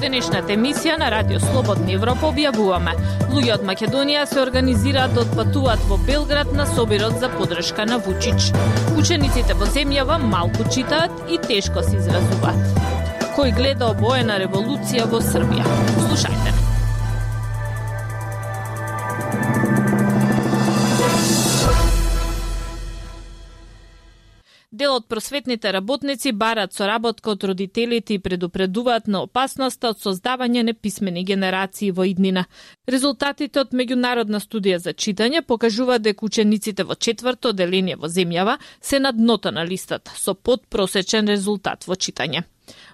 денешната емисија на Радио Слободна Европа објавуваме. Луѓе од Македонија се организираат да отпатуваат во Белград на собирот за поддршка на Вучич. Учениците во земјава малку читаат и тешко се изразуваат. Кој гледа обоена револуција во Србија? Слушајте. Дел од просветните работници бараат соработка од родителите и предупредуваат на опасноста од создавање неписмени генерации во иднина. Резултатите од меѓународна студија за читање покажуваат дека учениците во 4-то одделение во земјава се на дното на листата, со подпросечен резултат во читање.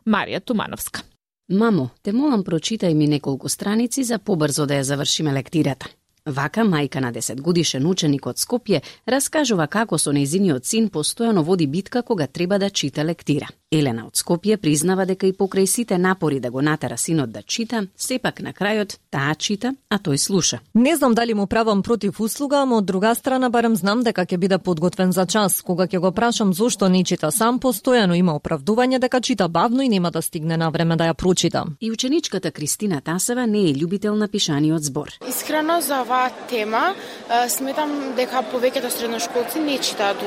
Марија Тумановска. Мамо, те молам прочитај ми неколку страници за побрзо да ја завршиме лектирата. Вака, мајка на 10-годишен ученик од Скопје раскажува како со нејзиниот син постојано води битка кога треба да чита лектира. Елена од Скопје признава дека и покрај сите напори да го натера синот да чита, сепак на крајот таа чита, а тој слуша. Не знам дали му правам против услуга, ама од друга страна барем знам дека ќе биде подготвен за час. Кога ќе го прашам зошто не чита сам, постојано има оправдување дека чита бавно и нема да стигне на време да ја прочита. И ученичката Кристина Тасева не е љубител на пишаниот збор. Искрено за оваа тема сметам дека повеќето средношколци не читаат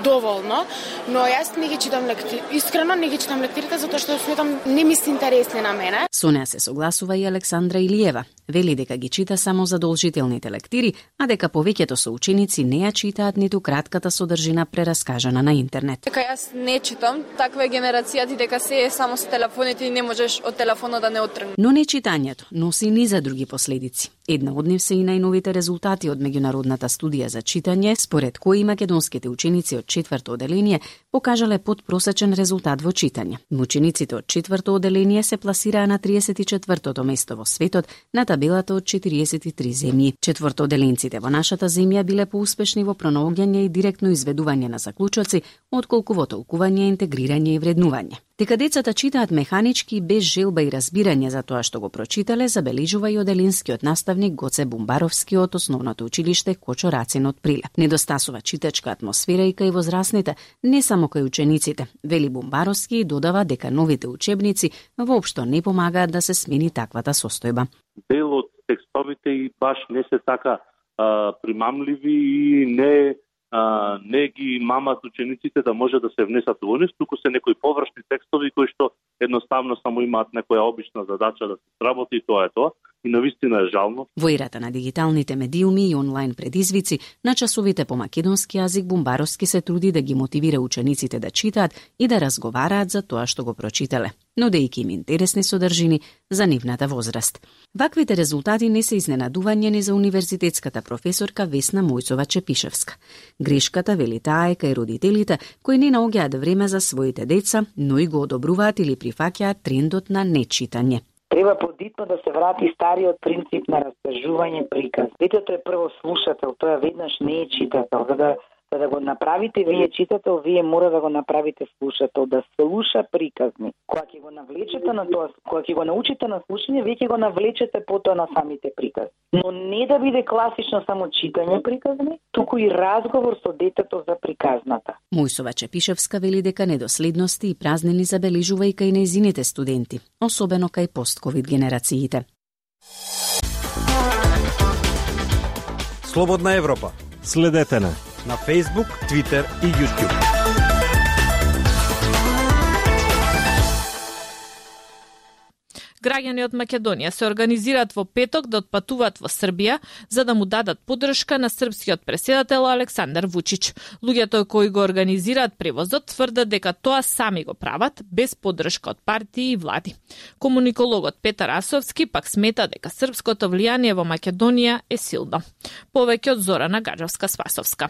доволно, но јас не ги читам лектири. Искрено не ги читам лектирите затоа што сметам не ми се интересни на мене. Со неа се согласува и Александра Илиева. Вели дека ги чита само задолжителните лектири, а дека повеќето соученици не ја читаат ниту кратката содржина прераскажана на интернет. Дека јас не читам, таква е генерацијата дека се е само со телефоните и не можеш од телефонот да не оттргнеш. Но не читањето носи ни за други последици. Една од нив се и најновите резултати од меѓународната студија за читање, според кои македонските ученици од 4-то одделение покажале подпросечен резултат во читање. Учениците од 4-то одделение се пласираа на 34-тото место во светот на табелата од 43 земји. 4-одделенците во нашата земја биле поуспешни во пронаоѓање и директно изведување на заклучоци, отколку во толкување, интегрирање и вреднување. Дека децата читаат механички без желба и разбирање за тоа што го прочитале, забележува и оделинскиот наставник Гоце Бумбаровски од основното училиште Кочо Рацин од Прилеп. Недостасува читачка атмосфера и кај возрастните, не само кај учениците. Вели Бумбаровски и додава дека новите учебници воопшто не помагаат да се смени таквата состојба. Дел од текстовите и баш не се така примамливи и не ги мамат учениците да може да се внесат во нив, туку се некои површни текстови кои што едноставно само имаат некоја обична задача да се сработи и тоа е тоа. И навистина е жално. Во ерата на дигиталните медиуми и онлайн предизвици, на часовите по македонски јазик Бумбаровски се труди да ги мотивира учениците да читаат и да разговараат за тоа што го прочитале, нудејќи им интересни содржини за нивната возраст. Ваквите резултати не се изненадување ни за универзитетската професорка Весна Мојсова-Чепишевска. Грешката, вели таа, е кај родителите кои не наоѓаат време за своите деца, но и го одобруваат или прифаќаат трендот на нечитање. Треба подитно да се врати стариот принцип на раскажување приказ. Детето е прво слушател, тоа веднаш не е читател. За да го направите вие читател, вие мора да го направите слушател, да слуша приказни. Кога ќе го навлечете на тоа, кога ќе го научите на слушање, вие ќе го навлечете потоа на самите приказни. Но не да биде класично само читање приказни, туку и разговор со детето за приказната. Мојсова-Чепишевска вели дека недоследности и празнини забележува и кај нејзините студенти, особено кај постковид генерациите. Слободна Европа. Следете на Facebook, Twitter и YouTube. Граѓани од Македонија се организираат во петок да отпатуваат во Србија за да му дадат поддршка на српскиот претседател Александар Вучич. Луѓето кои го организираат превозот тврдат дека тоа сами го прават без поддршка од партии и влади. Комуникологот Петар Асовски пак смета дека српското влијание во Македонија е силно. Повеќе од Зорана Гаджевска-Спасовска.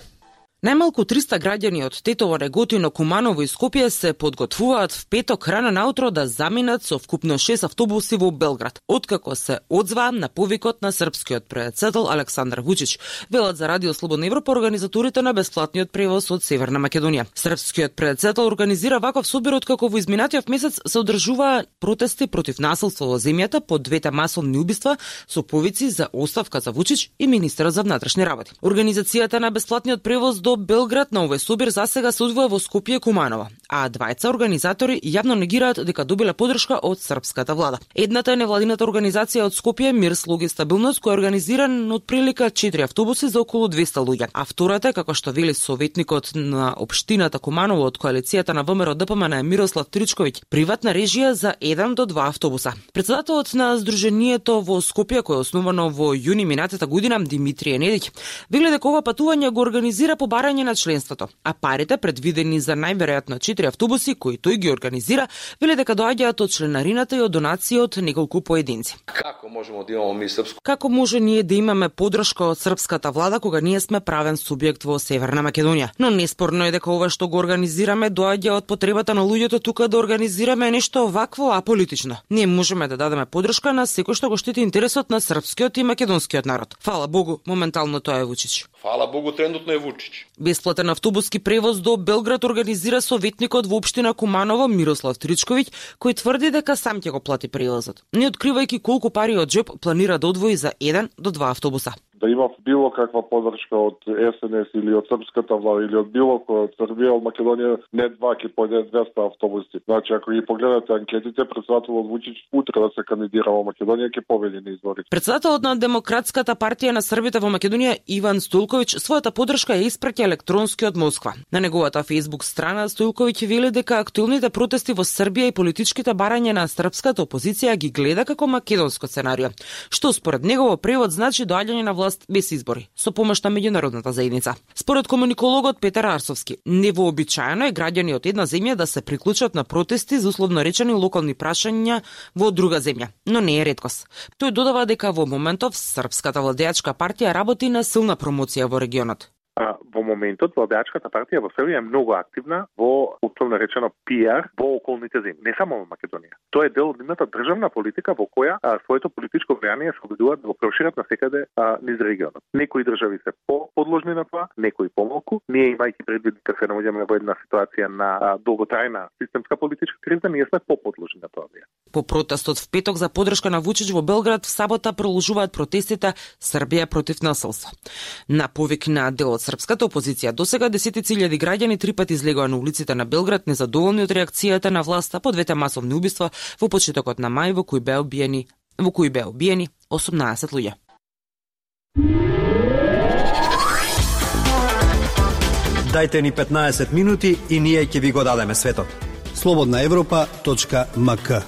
Најмалку 300 граѓани од Тетово, Реготино, Куманово и Скопје се подготвуваат в петок рано наутро да заминат со вкупно 6 автобуси во Белград, откако се одзваа на повикот на српскиот претседател Александар Вучич, велат за Радио Слободна Европа организаторите на бесплатниот превоз од Северна Македонија. Српскиот претседател организира ваков собир откако во изминатиот месец се одржуваа протести против насилство во земјата по двете масовни убиства со повици за оставка за Вучич и министерот за внатрешни работи. Организацијата на бесплатниот превоз до Белград на овој собир засега се одвива во Скопје и Куманово, а двајца организатори јавно негираат дека добиле поддршка од српската влада. Едната е невладината организација од Скопје Мир, слуги и стабилност, која организиран од прилика 4 автобуси за околу 200 луѓе. А втората, како што вели советникот на општината Куманово од коалицијата на ВМРО ДПМН Мирослав Тричковиќ, приватна режија за 1 до 2 автобуса. Председателот на Сдруженијето во Скопје, кој е основано во јуни минатата година, Димитрije Недиќ, вели дека ова патување го организира по барање на членството, а парите предвидени за најверојатно 4 автобуси кои тој ги организира, вели дека доаѓаат од членарината и од донации од неколку поединци. Како можеме да имаме ми српско? Како може ние да имаме поддршка од српската влада кога ние сме правен субјект во Северна Македонија? Но неспорно е дека ова што го организираме доаѓа од потребата на луѓето тука да организираме нешто вакво аполитично. Ние можеме да дадеме поддршка на секој што го штити интересот на српскиот и македонскиот народ. Фала Богу, моментално тоа е Вучич. Фала Богу, трендотно е Вучич. Бесплатен автобуски превоз до Белград организира советникот во општина Куманово Мирослав Тричковиќ, кој тврди дека сам ќе го плати превозот, не откривајќи колку пари од џеп планира да одвои за 1 до 2 автобуса. Да има било каква поддршка од СНС или од српската влада или од било кој од Србија, од Македонија, не 2 ки појде 200 автобуси. Значи, ако ги погледате анкетите, председателот Вучич утре да се кандидира во Македонија ќе победи на изборите. Председателот на Демократската партија на Србите во Македонија Иван Стојлковиќ својата поддршка ја испраќа електронски од Москва. На неговата Facebook страна Стојлковиќ вели дека актуелните протести во Србија и политичките барања на српската опозиција ги гледа како македонско сценарио, што според негово превод значи доаѓање на власт без избори, со помош на меѓународната заедница. Според комуникологот Петар Арсовски, невообичаено е граѓани од една земја да се приклучат на протести за условно речени локални прашања во друга земја, но не е реткост. Тој додава дека во моментов српската владеачка партија работи на силна промоција во регионот. Во моментот владеачката партија во Србија е многу активна во условно речено PR во околните земји, не само во Македонија. Тоа е дел од нивната државна политика во која своето политичко влијание се обидуваат да го прошират навсекаде низ регионот. Некои држави се подложни на тоа, некои помалку. Ние имајќи предвид дека се наоѓаме во една ситуација на долготрајна системска политичка криза, ние сме поподложни на тоа. По протестот в петок за поддршка на Вучич во Белград, в сабота продолжуваат протестите Србија против насилство. На повик на дел од српската опозиција, досега десетици илјади граѓани 3 пати излегоа на улиците на Белград незадоволни од реакцијата на власта по двете масовни убиства во почетокот на мај во кои беа убиени 18 луѓе. Дајте ни 15 минути и ние ќе ви го дадеме светот. slobodnaevropa.mk.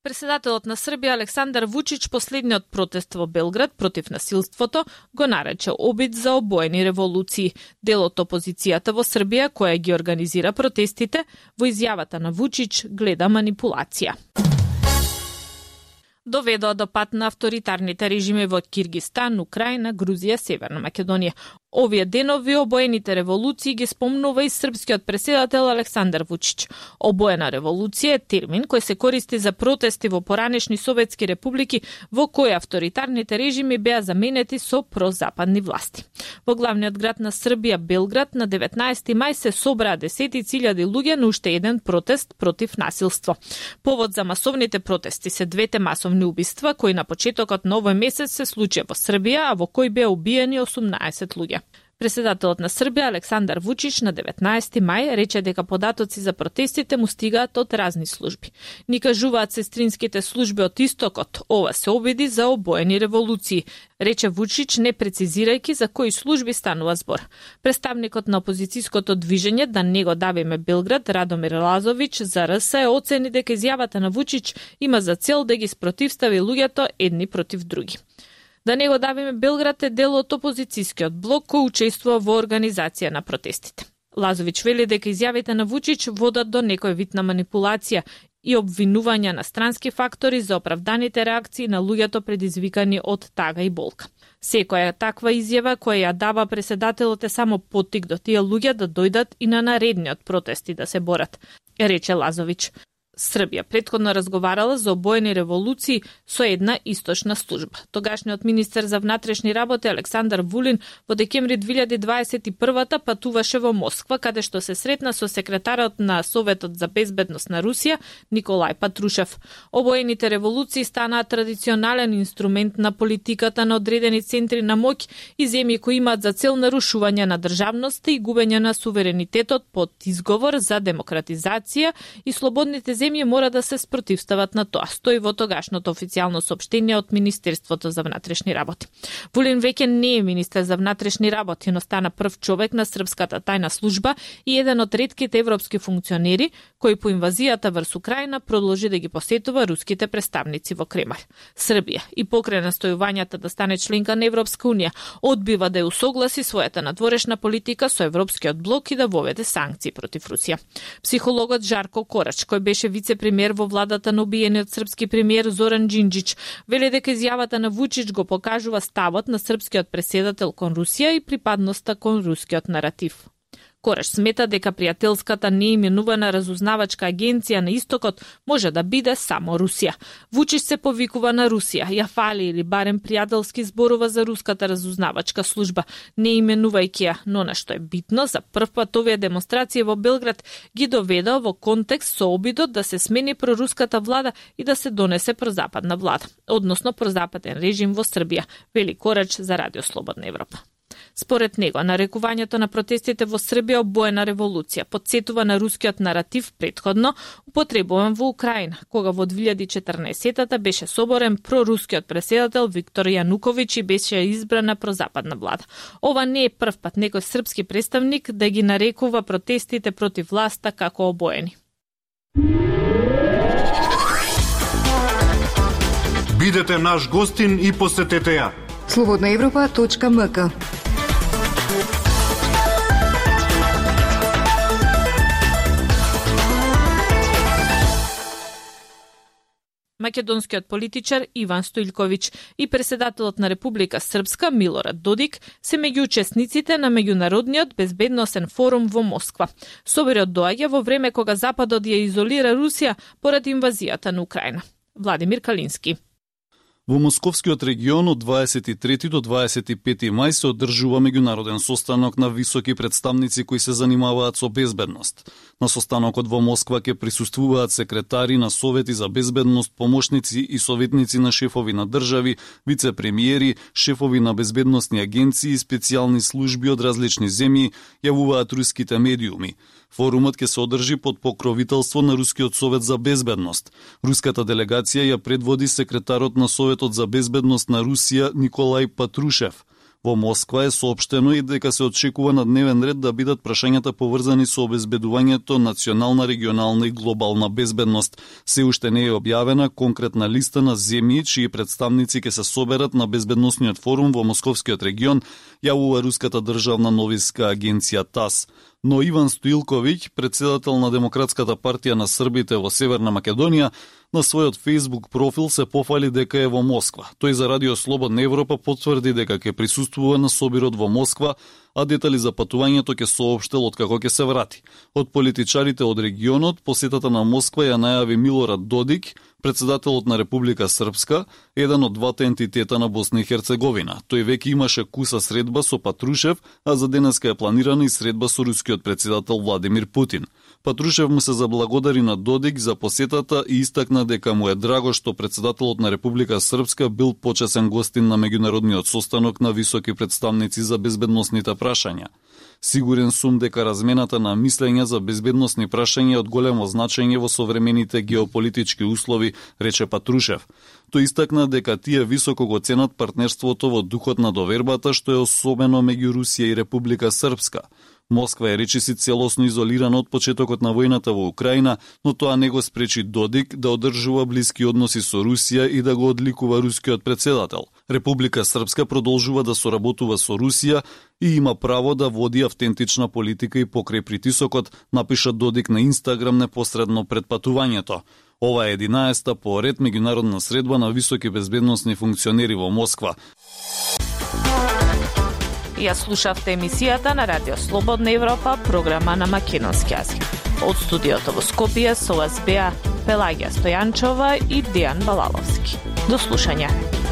Председателот на Србија Александар Вучич последниот протест во Белград против насилството го нарече обид за обоени револуции. Дел од опозицијата во Србија која ги организира протестите, во изјавата на Вучич гледа манипулација. Доведоа до пат на авторитарните режими во Киргистан, Украина, Грузија, Северна Македонија. Овие денови обоените револуции ги спомнува и српскиот преседател Александар Вучич. Обоена револуција е термин кој се користи за протести во поранешни советски републики во кои авторитарните режими беа заменети со прозападни власти. Во главниот град на Србија, Белград, на 19 мај се собраа десетици илјади луѓе на уште еден протест против насилство. Повод за масовните протести се двете масовни убиства кои на почетокот на овој месец се случија во Србија, а во кои беа убиени 18 луѓе. Преседателот на Србија Александар Вучич на 19 мај рече дека податоци за протестите му стигаат од разни служби. Ни кажуваат сестринските служби од истокот, ова се обиди за обоени револуции, рече Вучич не прецизирајќи за кои служби станува збор. Представникот на опозицијското движење Да не го давиме Белград, Радомир Лазович за РС оцени дека изјавата на Вучич има за цел да ги спротивстави луѓето едни против други. Да не го давиме Белград е дел од опозицијскиот блок кој учествува во организација на протестите. Лазович вели дека изјавите на Вучич водат до некој вид на манипулација и обвинувања на странски фактори за оправданите реакции на луѓето предизвикани од тага и болка. Секоја таква изјава која ја дава преседателот е само поттик до тие луѓе да дојдат и на наредниот протести да се борат, рече Лазович. Србија претходно разговарала за обоени револуции со една источна служба. Тогашниот министер за внатрешни работи Александар Вулин во декември 2021 патуваше во Москва, каде што се сретна со секретарот на Советот за безбедност на Русија Николај Патрушев. Обоените револуции станаа традиционален инструмент на политиката на одредени центри на моќ и земји кои имаат за цел нарушување на државноста и губење на суверенитетот под изговор за демократизација и слободните земји мора да се спротивстават на тоа, стои во тогашното официјално соопштение од Министерството за внатрешни работи. Вулин веќе не е министер за внатрешни работи, но стана прв човек на српската тајна служба и еден од ретките европски функционери кој по инвазијата врз Украина продолжи да ги посетува руските представници во Кремљ. Србија и покрај настојувањата да стане членка на Европска унија, одбива да ја усогласи својата надворешна политика со Европскиот блок и да воведе санкции против Русија. Психологот Жарко Корач, кој беше вице-премиер во владата на убиениот српски премиер Зоран Џинџич, вели дека изјавата на Вучич го покажува ставот на српскиот преседател кон Русија и припадноста кон рускиот наратив. Кораш смета дека пријателската неименувана разузнавачка агенција на истокот може да биде само Русија. Вучич се повикува на Русија, ја фали или барем пријателски зборува за руската разузнавачка служба, не именувајќи ја, но на што е битно, за прв пат овие демонстрации во Белград ги доведа во контекст со обидот да се смени проруската влада и да се донесе прозападна влада, односно прозападен режим во Србија, вели Корач за Радио Слободна Европа. Според него, нарекувањето на протестите во Србија обоена револуција подсетува на рускиот наратив претходно употребуван во Украина, кога во 2014-та беше соборен прорускиот преседател Виктор Јануковиќ и беше избрана прозападна влада. Ова не е прв пат некој српски представник да ги нарекува протестите против власта како обоени. Бидете наш гостин и посетете ја. slobodnaevropa.mk. Македонскиот политичар Иван Стојлковиќ и председателот на Република Српска Милорад Додик се меѓу учесниците на меѓународниот безбедносен форум во Москва. Соборот доаѓа во време кога Западот ја изолира Русија поради инвазијата на Украина. Владимир Калински. Во Московскиот регион од 23 до 25 мај се одржува меѓународен состанок на високи представници кои се занимаваат со безбедност. На состанокот во Москва ќе присуствуваат секретари на совети за безбедност, помошници и советници на шефови на држави, вице-премиери, шефови на безбедносни агенции и специјални служби од различни земји, јавуваат руските медиуми. Форумот ќе се одржи под покровителство на Рускиот совет за безбедност. Руската делегација ја предводи секретарот на Советот за безбедност на Русија Николај Патрушев. Во Москва е соопштено и дека се очекува на дневен ред да бидат прашањата поврзани со обезбедувањето, национална, регионална и глобална безбедност. Се уште не е објавена конкретна листа на земји чии представници ќе се соберат на безбедносниот форум во Московскиот регион, јавува руската државна новинска агенција ТАСС. Но Иван Стојлковиќ, председател на Демократската партија на србите во Северна Македонија, на својот Facebook профил се пофали дека е во Москва. Тој за Радио Слободна Европа потврди дека ќе присуствува на собирот во Москва, а детали за патувањето ќе соопштел откако ќе се врати. Од политичарите од регионот, посетата на Москва ја најави Милорад Додик, председателот на Република Српска, еден од двата ентитета на Босна и Херцеговина. Тој веќе имаше куса средба со Патрушев, а за денеска е планирана и средба со рускиот председател Владимир Путин. Патрушев му се заблагодари на Додик за посетата и истакна дека му е драго што председателот на Република Српска бил почесен гостин на меѓународниот состанок на високи представници за безбедносните прашања. Сигурен сум дека размената на мислења за безбедносни прашања е од големо значење во современите геополитички услови, рече Патрушев. Тој истакна дека тие високо го ценат партнерството во духот на довербата, што е особено меѓу Русија и Република Српска. Москва е речиси целосно изолирана од почетокот на војната во Украина, но тоа не го спречи Додик да одржува блиски односи со Русија и да го одликува рускиот председател. Република Српска продолжува да соработува со Русија и има право да води автентична политика и покрај притисокот, напиша Додик на Инстаграм непосредно пред патувањето. Ова е 11-та по ред меѓународна средба на високи безбедносни функционери во Москва. Ја слушавте емисијата на Радио Слободна Европа, програма на македонски јазик. Од студиото во Скопје со вас беа Пелагија Стојанчова и Дејан Балаловски. До слушање.